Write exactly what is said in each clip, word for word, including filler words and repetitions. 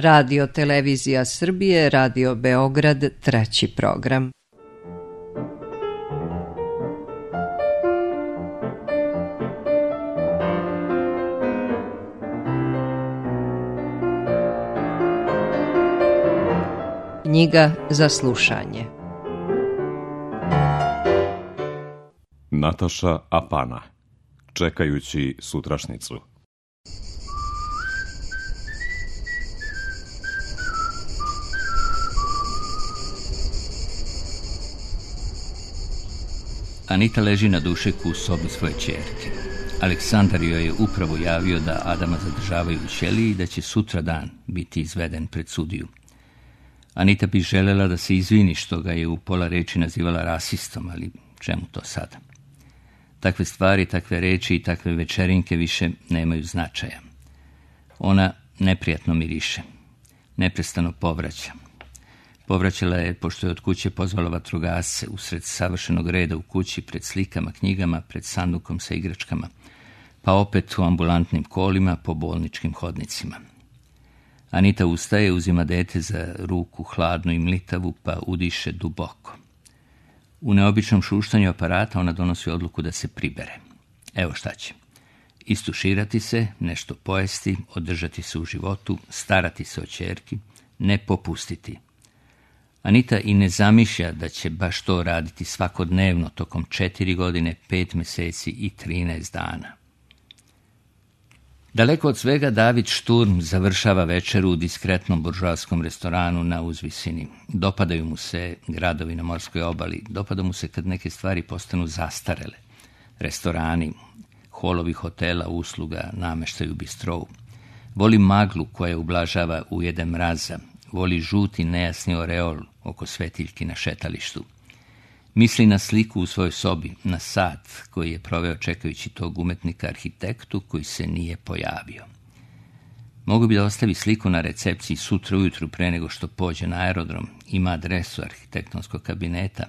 Radio Televizija Srbije, Radio Beograd, treći program. Knjiga za slušanje. Nataša Apana. Čekajući sutrašnicu. Anita leži na dušeku u sobi svoje ćerke. Aleksandar joj je upravo javio da Adama zadržavaju u ćeliji i da će sutra dan biti izveden pred sudiju. Anita bi želela da se izvini što ga je u pola reči nazivala rasistom, ali čemu to sada? Takve stvari, takve reči i takve večerinke više nemaju značaja. Ona neprijatno miriše. Neprestano povraća. Povraćala je pošto je od kuće pozvala vatrogasce usred savršenog reda u kući, pred slikama, knjigama, pred sandukom sa igračkama, pa opet u ambulantnim kolima po bolničkim hodnicima. Anita ustaje, uzima dete za ruku, hladnu i mlitavu, pa udiše duboko. U neobičnom šuštanju aparata ona donosi odluku da se pribere. Evo šta će. Istuširati se, nešto pojesti, održati se u životu, starati se o ćerki, ne popustiti. Anita i ne zamišlja da će baš to raditi svakodnevno tokom četiri godine, pet meseci i trinaest dana. Daleko od svega, David Šturm završava večeru u diskretnom buržoaskom restoranu na uzvisini. Dopadaju mu se gradovi na morskoj obali, dopada mu se kad neke stvari postanu zastarele. Restorani, holovi hotela, usluga, nameštaj u bistrovu. Voli maglu koja ublažava ujede mraza, voli žuti nejasni oreol oko svetiljki na šetalištu. Misli na sliku u svojoj sobi, na sat koji je proveo čekajući tog umetnika arhitektu koji se nije pojavio. Mogu bi da ostavi sliku na recepciji sutra ujutru pre nego što pođe na aerodrom, ima adresu arhitektonskog kabineta,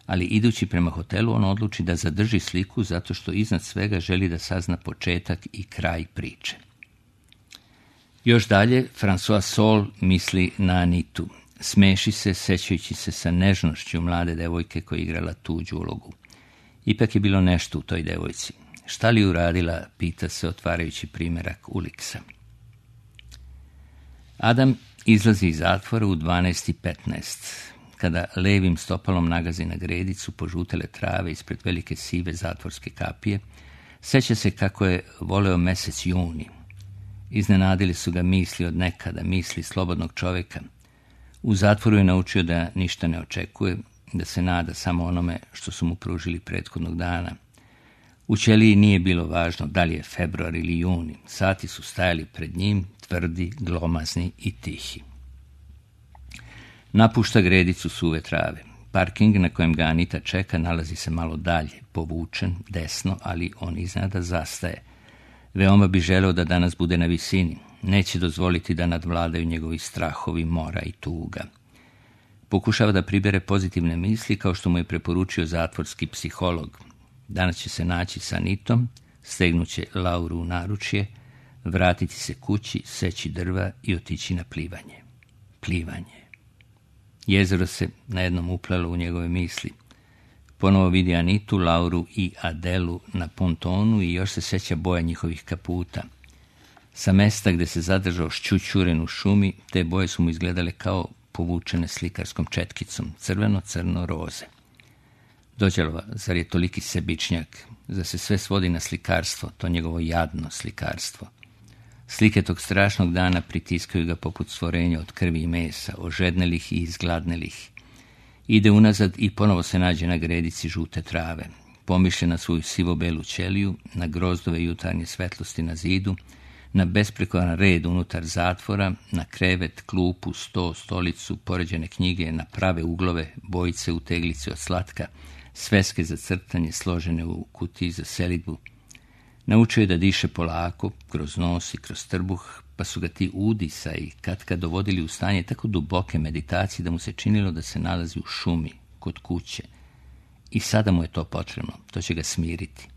ali idući prema hotelu on odluči da zadrži sliku zato što iznad svega želi da sazna početak i kraj priče. Još dalje, François Sol misli na Anitu. Smeši se, sećajući se sa nežnošću mlade devojke koja je igrala tuđu ulogu. Ipak je bilo nešto u toj devojci. Šta li uradila, pita se otvarajući primerak Uliksa. Adam izlazi iz zatvora u dvanaest i petnaest. Kada levim stopalom nagazi na gredicu požutele trave ispred velike sive zatvorske kapije, seća se kako je voleo mesec juni. Iznenadili su ga misli od nekada, misli slobodnog čoveka. U zatvoru je naučio da ništa ne očekuje, da se nada samo onome što su mu pružili prethodnog dana. U ćeliji nije bilo važno da li je februar ili juni. Sati su stajali pred njim, tvrdi, glomazni i tihi. Napušta gredicu suve trave. Parking na kojem ga Anita čeka nalazi se malo dalje, povučen, desno, ali on iznenada zastaje. Veoma bi želeo da danas bude na visini. Neće dozvoliti da nadvladaju njegovi strahovi, mora i tuga. Pokušava da pribere pozitivne misli kao što mu je preporučio zatvorski psiholog. Danas će se naći sa Anitom, stegnuće Lauru u naručje, vratiti se kući, seći drva i otići na plivanje. Plivanje. Jezero se na jednom uplelo u njegove misli. Ponovo vidi Anitu, Lauru i Adelu na pontonu i još se seća boja njihovih kaputa. Sa mesta gde se zadržao šćućuren u šumi, te boje su mu izgledale kao povučene slikarskom četkicom, crveno, crno, roze. Dođelova, zar je toliki sebičnjak, da se sve svodi na slikarstvo, to njegovo jadno slikarstvo. Slike tog strašnog dana pritiskaju ga poput stvorenja od krvi i mesa, ožednelih i izgladnelih. Ide unazad i ponovo se nađe na gredici žute trave. Pomišlja na svoju sivo-belu ćeliju, na grozdove jutarnje svetlosti na zidu, na besprekoran red unutar zatvora, na krevet, klupu, sto, stolicu, poređene knjige, na prave uglove, bojice u teglici od slatka, sveske za crtanje složene u kutiji za selidbu. Naučio je da diše polako, kroz nos i kroz trbuh, pa su ga ti udisa i katkad dovodili u stanje tako duboke meditacije da mu se činilo da se nalazi u šumi, kod kuće. I sada mu je to potrebno, to će ga smiriti.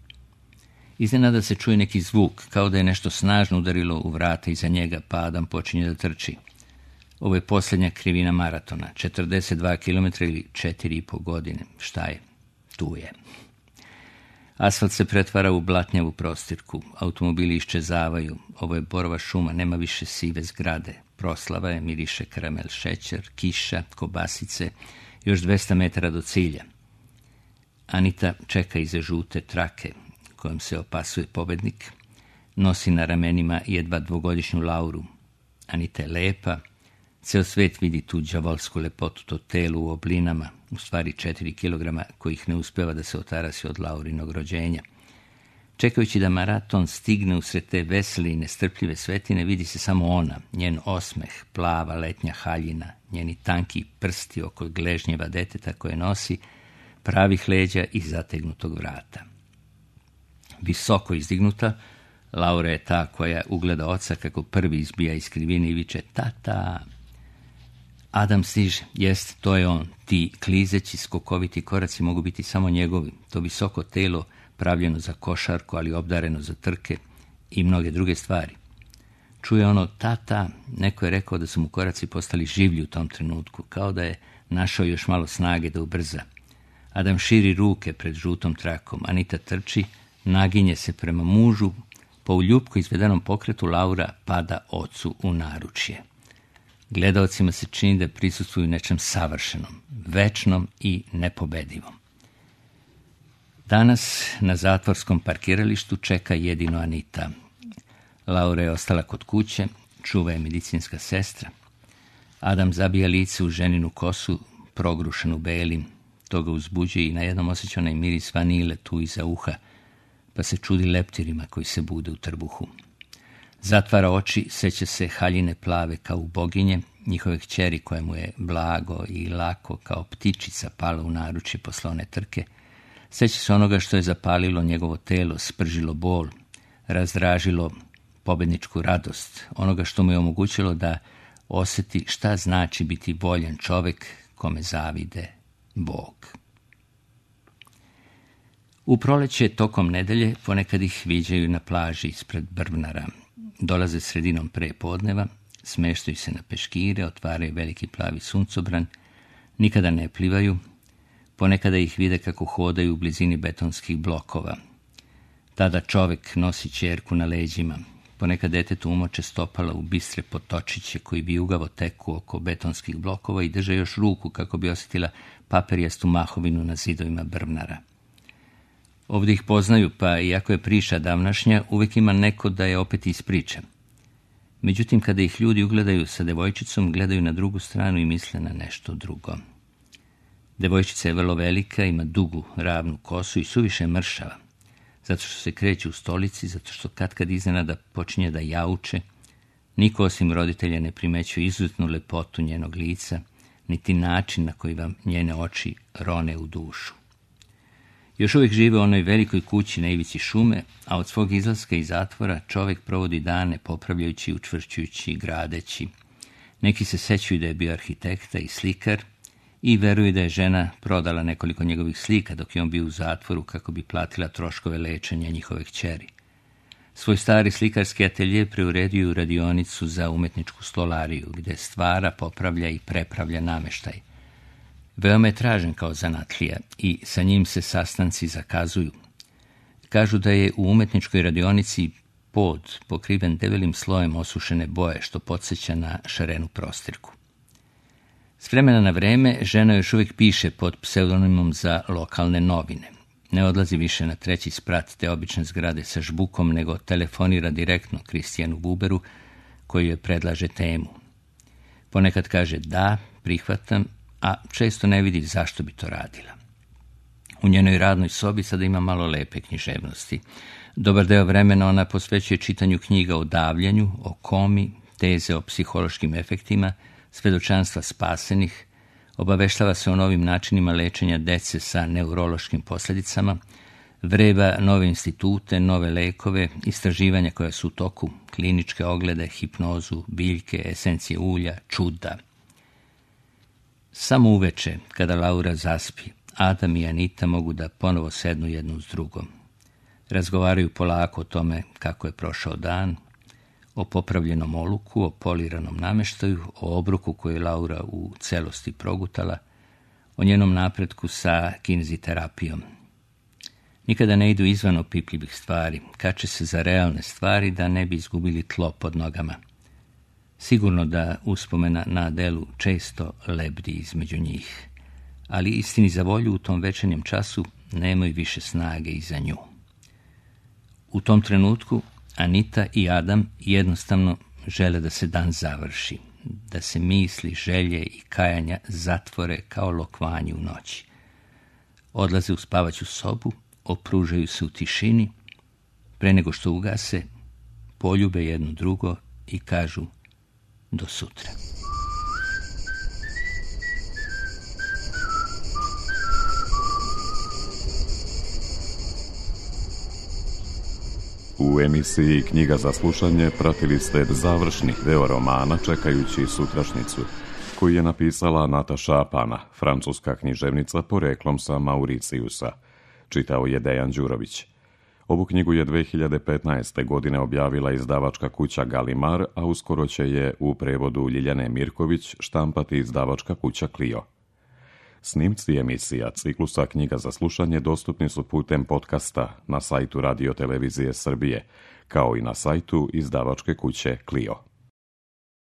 Iznenada se čuje neki zvuk, kao da je nešto snažno udarilo u vrata iza njega, pa Adam počinje da trči. Ovo je posljednja krivina maratona, četrdeset dva kilometra ili četiri i po godine. Šta je? Tu je. Asfalt se pretvara u blatnjavu prostirku, automobili iščezavaju, ovo je borova šuma, nema više sive zgrade, proslava je, miriše karamel, šećer, kiša, kobasice, još dvesta metara do cilja. Anita čeka iza žute trake, kojom se opasuje pobednik, nosi na ramenima jedva dvogodišnju Lauru. Anita je lepa, ceo svet vidi tu đavolsku lepotu, to telo u oblinama, u stvari četiri kilograma kojih ne uspeva da se otarasi od Laurinog rođenja. Čekajući da maraton stigne usred te vesele i nestrpljive svetine, vidi se samo ona, njen osmeh, plava letnja haljina, njeni tanki prsti oko gležnjeva deteta koje nosi, pravih leđa i zategnutog vrata. Visoko izdignuta, Laura je ta koja ugleda oca kako prvi izbija iz krivine i viče tata. Adam stiže, jest, to je on. Ti klizeći, skokoviti koraci mogu biti samo njegovi. To visoko telo, pravljeno za košarku, ali obdareno za trke i mnoge druge stvari. Čuje ono tata, neko je rekao da su mu koraci postali življi u tom trenutku, kao da je našao još malo snage da ubrza. Adam širi ruke pred žutom trakom, Anita trči, naginje se prema mužu, po uljupko izvedenom pokretu Laura pada ocu u naručje. Gledaocima se čini da prisustvuju nečem savršenom, večnom i nepobedivom. Danas na zatvorskom parkiralištu čeka jedino Anita. Laura je ostala kod kuće, čuva je medicinska sestra. Adam zabija lice u ženinu kosu, progrušenu belim. To ga uzbuđuje i najednom osjeća onaj miris vanile tu iza uha, pa se čudi leptirima koji se bude u trbuhu. Zatvara oči, seća se haljine plave kao u boginje, njihove kćeri koje mu je blago i lako kao ptičica pala u naručje posle one trke. Seća se onoga što je zapalilo njegovo telo, spržilo bol, razdražilo pobedničku radost, onoga što mu je omogućilo da osjeti šta znači biti voljan čovek kome zavide Bog. U proleće tokom nedelje ponekad ih viđaju na plaži ispred Brvnara. Dolaze sredinom pre podneva, smeštaju se na peškire, otvaraju veliki plavi suncobran, nikada ne plivaju, ponekada ih vide kako hodaju u blizini betonskih blokova. Tada čovek nosi ćerku na leđima, ponekad detetu umoče stopala u bistre potočiće koji vijugavo teku oko betonskih blokova i drže još ruku kako bi osjetila paperijastu mahovinu na zidovima Brvnara. Ovdje ih poznaju, pa iako je priča davnašnja, uvijek ima neko da je opet ispriča. Međutim, kada ih ljudi ugledaju sa devojčicom, gledaju na drugu stranu i misle na nešto drugo. Devojčica je vrlo velika, ima dugu, ravnu kosu i suviše mršava, zato što se kreće u stolici, zato što katkad iznenada počinje da jauče. Niko osim roditelja ne primećuje izuzetnu lepotu njenog lica, niti način na koji vam njene oči rone u dušu. Još uvijek žive u onoj velikoj kući na ivici šume, a od svog izlaska iz zatvora čovjek provodi dane popravljajući, učvršćujući, gradeći. Neki se sećaju da je bio arhitekta i slikar i veruju da je žena prodala nekoliko njegovih slika dok je on bio u zatvoru kako bi platila troškove lečenja njihove kćeri. Svoj stari slikarski atelje preuredio u radionicu za umetničku stolariju, gde stvara, popravlja i prepravlja nameštaj. Veoma je tražen kao zanatlija i sa njim se sastanci zakazuju. Kažu da je u umetničkoj radionici pod pokriven debelim slojem osušene boje, što podsjeća na šarenu prostirku. S vremena na vreme žena još uvijek piše pod pseudonimom za lokalne novine. Ne odlazi više na treći sprat te obične zgrade sa žbukom, nego telefonira direktno Kristijanu Buberu, koji joj predlaže temu. Ponekad kaže da, prihvatam, a često ne vidi zašto bi to radila. U njenoj radnoj sobi sada ima malo lepe književnosti. Dobar deo vremena ona posvećuje čitanju knjiga o davljenju, o komi, teze o psihološkim efektima, svedočanstva spasenih, obaveštava se o novim načinima lečenja dece sa neurološkim posljedicama, vreba nove institute, nove lekove, istraživanja koja su u toku, kliničke oglede, hipnozu, biljke, esencije ulja, čuda. Samo uveče, kada Laura zaspi, Adam i Anita mogu da ponovo sednu jednu s drugom. Razgovaraju polako o tome kako je prošao dan, o popravljenom oluku, o poliranom nameštaju, o obroku koji je Laura u celosti progutala, o njenom napretku sa kineziterapijom. Nikada ne idu izvan opipljivih stvari, kače se za realne stvari da ne bi izgubili tlo pod nogama. Sigurno da uspomena na Adelu često lebdi između njih, ali istini za volju u tom večernjem času nemaju više snage i za nju. U tom trenutku Anita i Adam jednostavno žele da se dan završi, da se misli, želje i kajanja zatvore kao lokvanji u noći. Odlaze u spavaću sobu, opružaju se u tišini, pre nego što ugase, poljube jedno drugo i kažu do sutra. U emisiji Knjiga za slušanje pratili ste završni deo romana Čekajući sutrašnjicu, koji je napisala Nataša Apana, francuska književnica poreklom sa Mauricijusa. Čitao je Dejan Đurović. Ovu knjigu je dve hiljade petnaeste. godine objavila izdavačka kuća Galimar, a uskoro će je u prevodu Ljiljane Mirković štampati izdavačka kuća Clio. Snimci emisija ciklusa Knjiga za slušanje dostupni su putem podcasta na sajtu Radio Televizije Srbije, kao i na sajtu izdavačke kuće Clio.